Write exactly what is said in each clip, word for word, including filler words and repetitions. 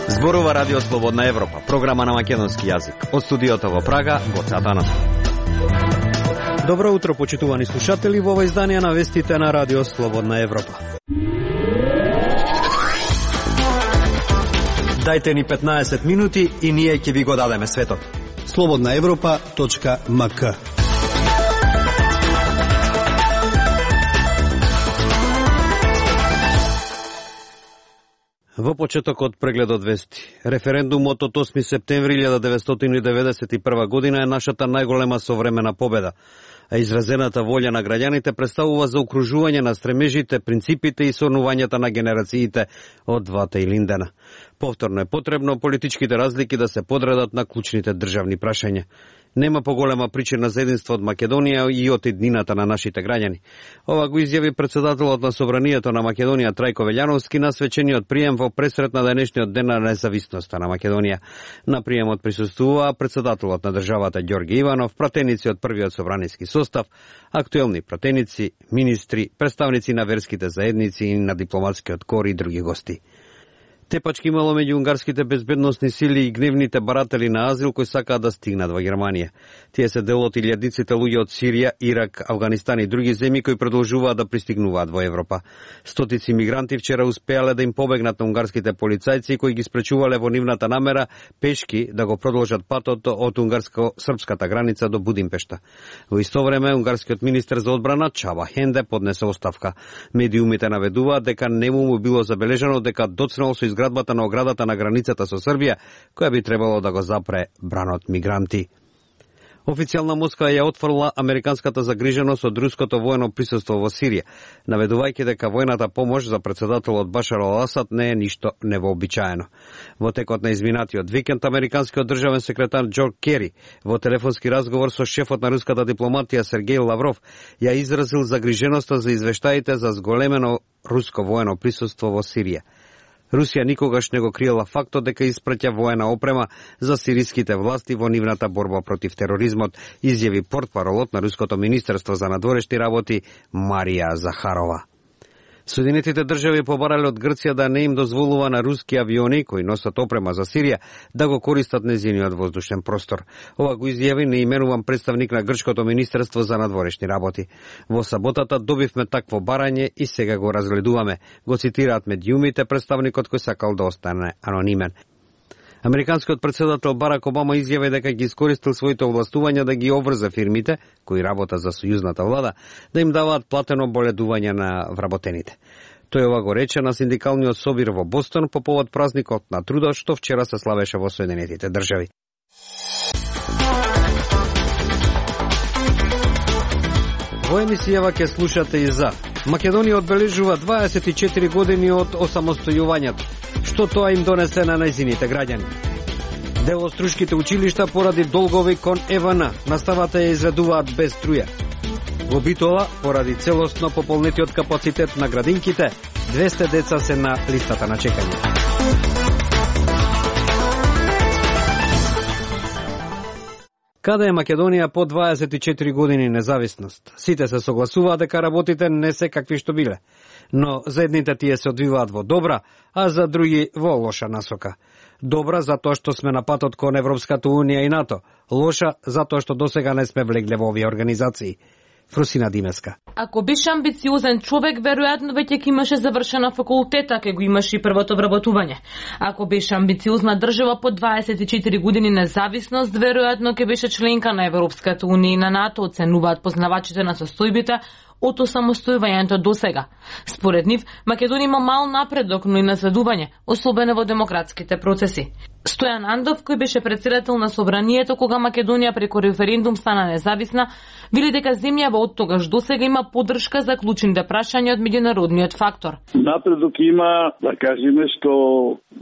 Зборува Радио Слободна Европа, програма на македонски јазик. Од студиото во Прага, Гоце Атанасов. Добро утро, почитувани слушатели, во ова издание на вестите на Радио Слободна Европа. Дајте ни петнаесет минути и ние ќе ви го дадеме светот. слободна европа точка ем ка. Во почетокот прегледот вести. Референдумот од осми септември илјада деветстотини и деветдесет и прва година е нашата најголема современа победа, а изразената волја на граѓаните представува заокружување на стремежите, принципите и сонувањата на генерациите од двата илиндена. Повторно е потребно политичките разлики да се подредат на клучните државни прашања. Нема поголема причина за единство од Македонија и од еднината на нашите граѓани. Ова го изјави председателот на Собранието на Македонија Трајко Велјановски на свечениот прием во пресрет на денешниот ден на независноста на Македонија. На приемот присуствуваа председателот на државата Ѓорги Иванов, пратеници од првиот собраниски состав, актуелни пратеници, министри, представници на верските заедници и на дипломатскиот кор и други гости. Тепачки имало меѓу унгарските безбедносни сили и гневните баратели на азил кои сакаат да стигнат во Германија. Тие се дел од илјадиците луѓе од Сирија, Ирак, Авганистан и други земји кои продолжуваат да пристигнуваат во Европа. Стотици мигранти вчера успеале да им побегнат на унгарските полицајци кои ги спречувале во нивната намера пешки да го продолжат патот од унгарско-српската граница до Будимпешта. Во исто време унгарскиот министер за одбрана Чаба Хенде поднесе оставка. Медиумите наведуваат дека нему му било забележано дека доцнел со изградбата на оградата на границата со Србија, која би требало да го запре бранот мигранти. Официјална Москва ја отфрла американската загриженост од руското воено присуство во Сирија, наведувајќи дека војната помош за председателот Башар ал-Асад не е ништо невообичаено. Во текот на изминатиот викенд, американскиот државен секретар Џон Кери во телефонски разговор со шефот на руската дипломатија Сергеј Лавров ја изразил загриженоста за извештаите за зголемено руско воено присуство во Сирија. Русија никогаш не го криела фактот дека испраќа воена опрема за сириските власти во нивната борба против тероризмот, изјави портпаролот на Руското министерство за надворешни работи Марија Захарова. Соединетите држави побарале од Грција да не им дозволува на руски авиони кои носат опрема за Сирија да го користат нејзиниот воздушен простор. Ова го изјави неименуван представник на Грчкото министерство за надворешни работи. Во саботата добивме такво барање и сега го разгледуваме, го цитираат медиумите представникот кој сакал да остане анонимен. Американскиот председател Барак Обама изјави дека ги искористил своите овластувања да ги обврзе фирмите, кои работат за сојузната влада, да им даваат платено боледување на вработените. Тој ова го рече на синдикалниот собир во Бостон по повод празникот на трудот што вчера се славеше во Соединетите држави. Во емисијава ќе слушате и за Македонија одбележува дваесет и четири години од осамостојувањето. Што тоа им донесе на нејзините граѓани? Дел од струшките училишта поради долгови кон Е В Н наставата ја изведуваат без струја. Во Битола, поради целосно пополнетиот капацитет на градинките, двесте деца се на листата на чекање. Каде е Македонија по дваесет и четири години независност? Сите се согласуваат дека работите не се какви што биле, но за едните тие се одвиваат во добра, а за други во лоша насока. Добра затоа што сме на патот кон Европската унија и НАТО, лоша затоа што досега не сме влегле во овие организации. Фрусина Димеска. Ако беше амбициозен човек, веројатно веќе ќе имаше завршена факултета, ке го имаше и првото вработување. Ако беше амбициозна држава по дваесет и четири години независност, веројатно ќе беше членка на Европската унија и на НАТО, оценуваат познавачите на состојбите од осамостојувањето до сега. Според нив, Македонија има мал напредок, но и наследување, особено во демократските процеси. Стојан Андов, кој беше председател на Собранието кога Македонија преку референдум стана независна, вели дека земјава од тогаш до сега има поддршка за клучните прашања од меѓународниот фактор. Напредок има, да кажеме, што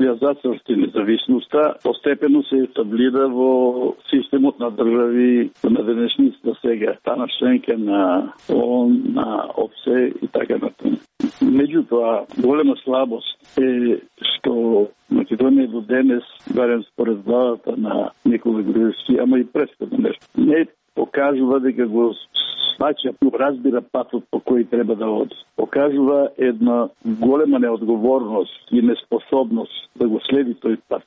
ја зацрсти независноста, постепено се етаблира во системот на држави на денешница сега, стана членка на ООН, на ОПСЕ и така натаму. Меѓутоа, голема слабост е што Македонија до денес, барем според главата на Никола Груевски, ама и претходно нешто, не покажува дека го сваќа, разбира патот по кој треба да оди. Покажува една голема неодговорност и неспособност да го следи тој пат.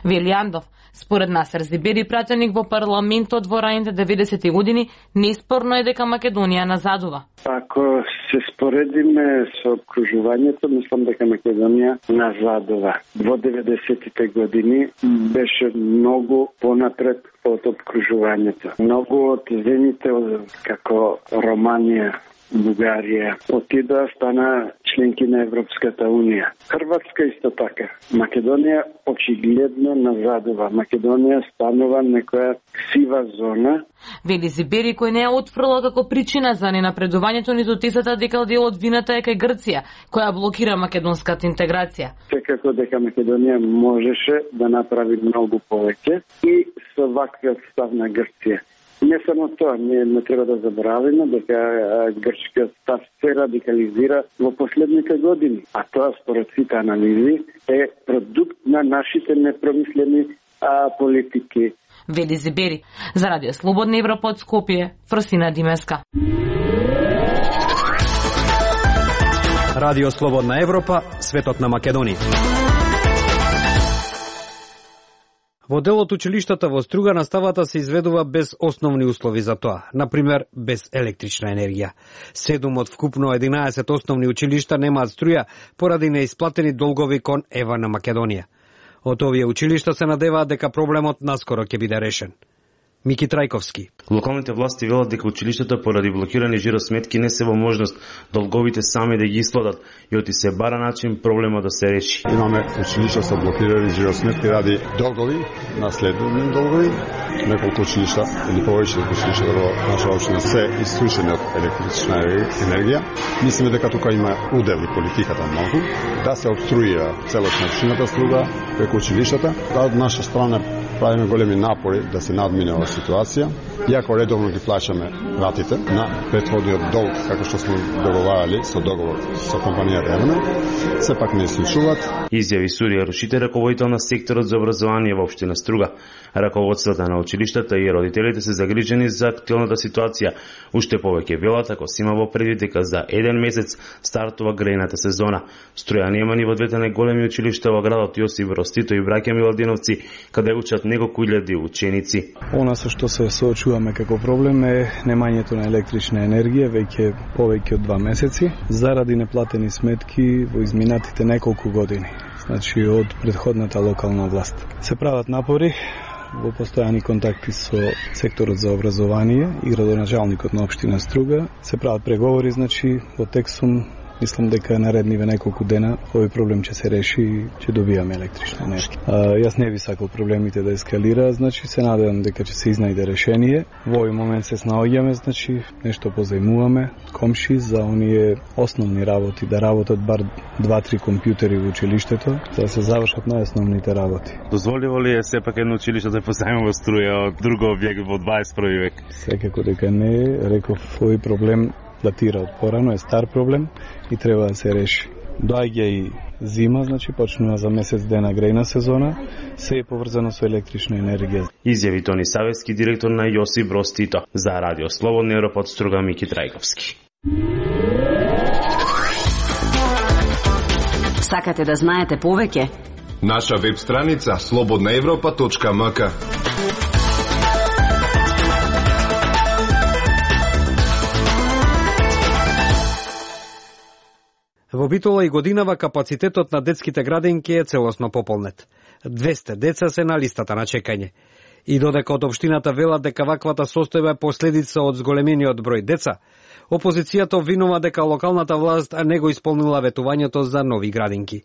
Вилјандов, според Насер Зибери, пратеник во парламентот во раните деветдесетти години, неспорно е дека Македонија назадува. Ако се споредиме со окружувањето, мислам дека Македонија назадува. Во деветдесеттите години беше многу понапред од окружувањето. Многу од земјите како Романија, Бугарија отидоа, стана членки на Европската Унија. Хрватска исто така. Македонија очигледно назадува. Македонија станува некоја сива зона. Вели Зибери, кој не е отфрла како причина за ненапредувањето ниту тезата дека дел од вината е кај Грција, која блокира македонската интеграција. Секако дека Македонија можеше да направи многу повеќе и со ваквиот став на Грција. Не само тоа, ние не треба да забораваме дека грчкиот став се радикализира во последните години, а тоа според сите анализи е продукт на нашите непромислени а, политики. Вели Зибери. За Радио Слободна Европа од Скопје, Фросина Димеска. Радио Слободна Европа, светот на Македонија. Во дел од училиштата во Струга наставата се изведува без основни услови за тоа, например без електрична енергија. Седум од вкупно единаесет основни училишта немаат струја поради неисплатени долгови кон ЕВА на Македонија. Од овие училишта се надеваат дека проблемот наскоро ќе биде решен. Мики Трајковски. Локалните власти велат дека училиштата поради блокирани жиросметки не се во можност долговите сами да ги исплатат и оти се бара начин проблема да се реши. Имаме училишта со блокирани жиросметки ради долгови, наследни долгови. Неколку училишта или повеќе училишта во наша општина се исклучени од електрична енергија. Мислиме дека тука има удел и политиката многу да се обструира целосна општината Струга преку училиштата. Да, од наша страна правиме големи напори да се надмине оваа ситуација, иако редовно ги плаќаме ратите на претходниот долг, како што сме договарали со договор со компанија Ревна, сепак не случуваат. Изјави Сурија Рушите, раководител на секторот за образование во општина Струга. Раководството на училиштата и родителите се загрижени за актуелната ситуација. Уште повеќе велат ако се има во предвид дека за еден месец стартува грејната сезона. Струја нема ни во двете најголеми училишта во градот Јосип Брз Тито и браќа Миладиновци, каде учат неколку илјади ученици. Она со што се соочуваме како проблем е немањето на електрична енергија веќе повеќе од два месеци заради неплатени сметки во изминатите неколку години. Значи од претходната локална власт. Се прават напори во постојани контакти со секторот за образование и градоначалникот на општина Струга. Се прават преговори, значи во Тексум. Мислам дека наредниве неколку дена овој проблем ќе се реши и ќе добиеме електрична енергија. А, јас не би сакал проблемите да ескалираат, значи се надевам дека ќе се изнајде решение. Во овој момент се снаоѓаме, значи нешто позајмуваме комши за оние основни работи, да работат бар два-три компјутери во училиштето, за да се завршат најосновните работи. Дозволиво ли е сепак едно училиште да позајмува струја од друг објект во дваесет први век? Секако дека не, реков, овој проблем датира од порано, е стар проблем и треба да се реши. Доаѓа и зима, значи почнува за месец дена грејна сезона, се е поврзано со електрична енергија. Изјави Тони Савевски, директор на Јосип Броз Тито. За Радио Слободна Европа од Струга, Мики Трајковски. Сакате да знаете повеќе? Наша веб страница слободна европа точка ем ка. Во Битола и годинава капацитетот на детските градинки е целосно пополнет. двесте деца се на листата на чекање. И додека од општината велат дека ваквата состојба е последица од зголемениот број деца, опозицијата обвинува дека локалната власт не го исполнила ветувањето за нови градинки.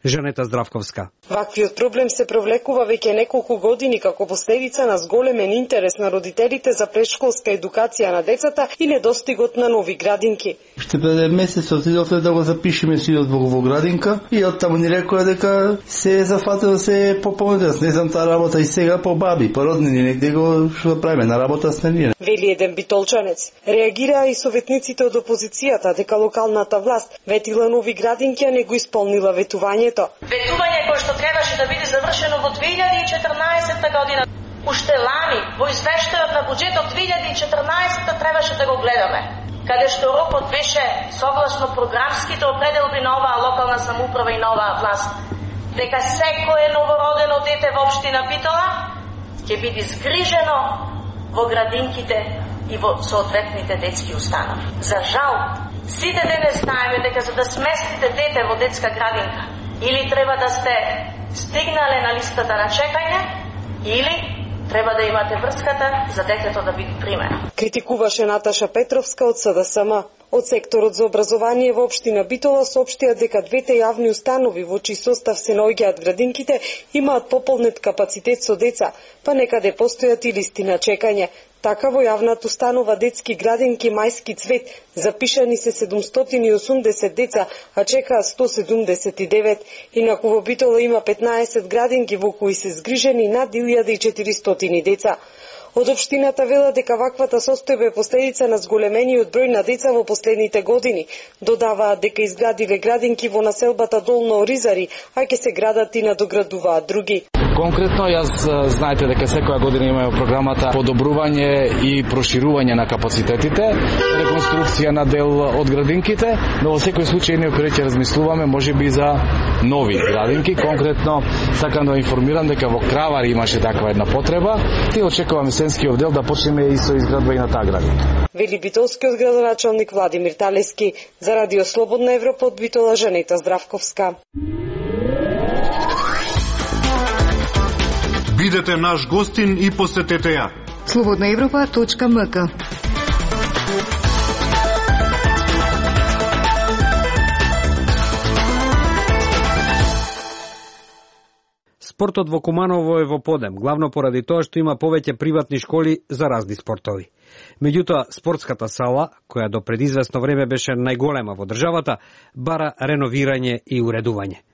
Жанета Здравковска. Ваквиот проблем се провлекува веќе неколку години како последица на зголемен интерес на родителите за претшколска едукација на децата и недостигот на нови градинки. Ще пред месец отидовме да го запишеме сиот во, во градинка и од таму ни рекоа дека се е зафатило се пополнет. Не знам таа работа и сега по баби, по роднини, негде го што правиме на работа с ние. Вели еден битолчанец. Реагираа и советниците од опозицијата дека локалната власт ветила нови градинки, а не го исполнила ветувањето. Ветување кое што требаше да биде завршено во две илјади и четрнаесетта година. уште лани во извештајот на буџетот две илјади и четрнаесетта требаше да го гледаме, каде што рокот беше согласно програмските определби на оваа локална самоуправа и на оваа власт, дека секое новородено дете во општина Битола ќе биде згрижено во градинките и во соодветните детски установи. За жал, сите денес знаеме дека за да сместите дете во детска градинка, или треба да сте стигнале на листата на чекање, или треба да имате врската за детето да биде примено. Критикуваше Наташа Петровска од С Д С М. Од секторот за образование во општина Битола соопштија дека двете јавни установи во чиј состав се наоѓаат градинките имаат пополнет капацитет со деца, па некаде постојат и листи на чекање. Така во јавната установа детски градинки Мајски цвет запишани се седумстотини и осумдесет деца, а чекаат сто седумдесет и девет. Инаку во Битола има петнаесет градинки во кои се згрижени над илјада и четиристотини деца. Од општината велат дека ваквата состојба е последица на зголемениот број на деца во последните години. Додаваат дека изградиле градинки во населбата Долно Оризари, а ќе се градат и надоградуваат други. Конкретно, јас знаете дека секоја година имаме програмата подобрување и проширување на капацитетите, реконструкција на дел од градинките, но во секој случај ние ќе размислуваме можеби за нови градинки. Конкретно, сакам да информирам дека во Кравари имаше таква една потреба и очекуваме сенскиот дел да почнеме и со изградба и на таа градинка. Вели битолскиот градоначалник Владимир Талески. За Радио Слободна Европа од Битола, Жанета Здравковска. Бидете наш гостин и посетете ја. слободна европа точка м к. Спортот во Куманово е во подем, главно поради тоа што има повеќе приватни школи за разни спортови. Меѓутоа, спортската сала, која до пред известно време беше најголема во државата, бара реновирање и уредување.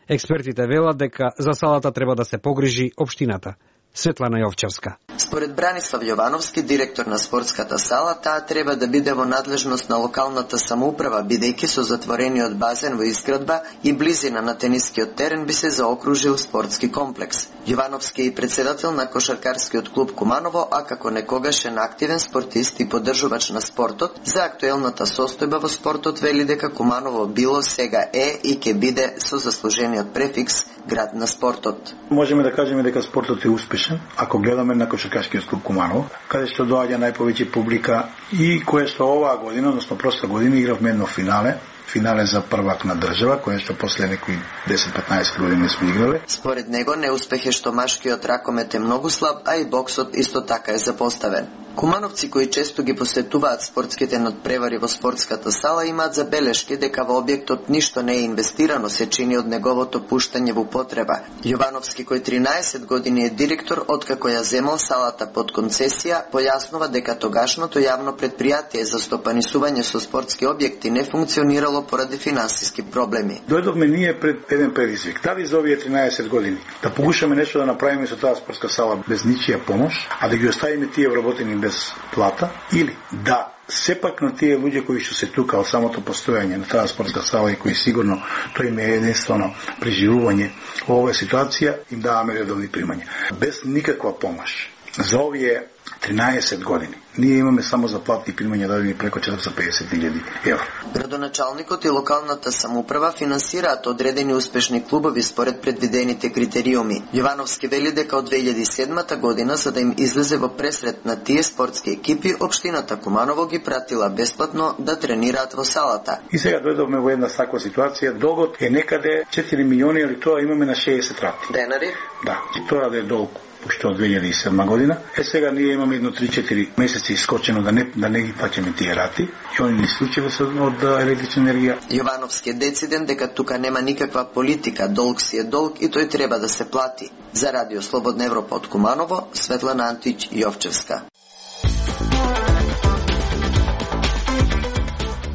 Експертите велат дека за салата треба да се погрижи општината. Светлана Јовчевска. Според Бранислав Јовановски, директор на спортската сала, таа треба да биде во надлежност на локалната самоуправа, бидејќи со затворениот базен во изградба и близина на тенискиот терен би се заокружил спортски комплекс. Јовановски е председател на кошаркарскиот клуб Куманово, а како некогашен активен спортист и поддржувач на спортот, за актуелната состојба во спортот вели дека Куманово било, сега е и ќе биде со заслужениот префикс град на спортот. Можеме да кажеме дека спортот е успешен, ако гледаме на кошаркарскиот клуб Куманово, каде што доаѓа најповеќе публика и кое што оваа година, односно проста година, игравме едно финале, финале за првак на држава, кое што после некои десет-петнаесет години сме играле. Според него неуспех е што машкиот ракомет е многу слаб, а и боксот исто така е запоставен. Кумановци кои често ги посетуваат спортските надпревари во спортската сала имаат забелешки дека во објектот ништо не е инвестирано, се чини од неговото пуштање во употреба. Јовановски, кој тринаесет години е директор, откако ја земал салата под концесија, појаснува дека тогашното јавно предпријатие за стопанисување со спортски објекти не функционирало поради финансиски проблеми. Дојдовме ние пред еден предизвик. Дали за овие тринаесет години да покушаме нешто да направиме со таа спортска сала без ничија помош, а да ги оставиме тие вработени без плата, или да сепак на тие луѓе кои што се тука од самото постојање на таа спортска сала и кои сигурно тој им е единствено преживување во оваа ситуација, им даваме редовни примања. Без никаква помош. За овие тринаесет години ние имаме само за плати и примања дадени преко четириста и педесет илјади евро. Градоначалникот и локалната самоуправа финансираат одредени успешни клубови според предвидените критериуми. Јовановски вели дека од две илјади и седмата година, за да им излезе во пресрет на тие спортски екипи, општината Куманово ги пратила бесплатно да тренираат во салата. И сега дојдовме во една таква ситуација, долгот е некаде четири милиони, али тоа имаме на шеесет рати. Денари? Да, и тоа да е долг уште од две илјади и седма година. Е сега ние имаме едно три-четири месеци искочено да не да не ги плаќаме тие рати и они не случило се од електрична енергија. Јовановски е дециден дека тука нема никаква политика, долг си е долг и тој треба да се плати. За Радио Слободна Европа од Куманово, Светлана Антич Јовчевска.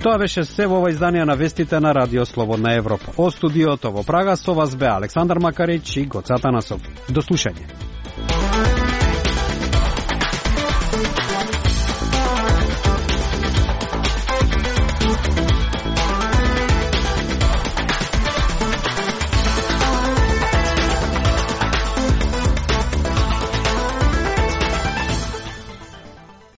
Тоа беше се во ова издание на вестите на Радио Слободна Европа. Од студиото во Прага со вас бе Александар Макарич и Гоца Танасов. До слушање.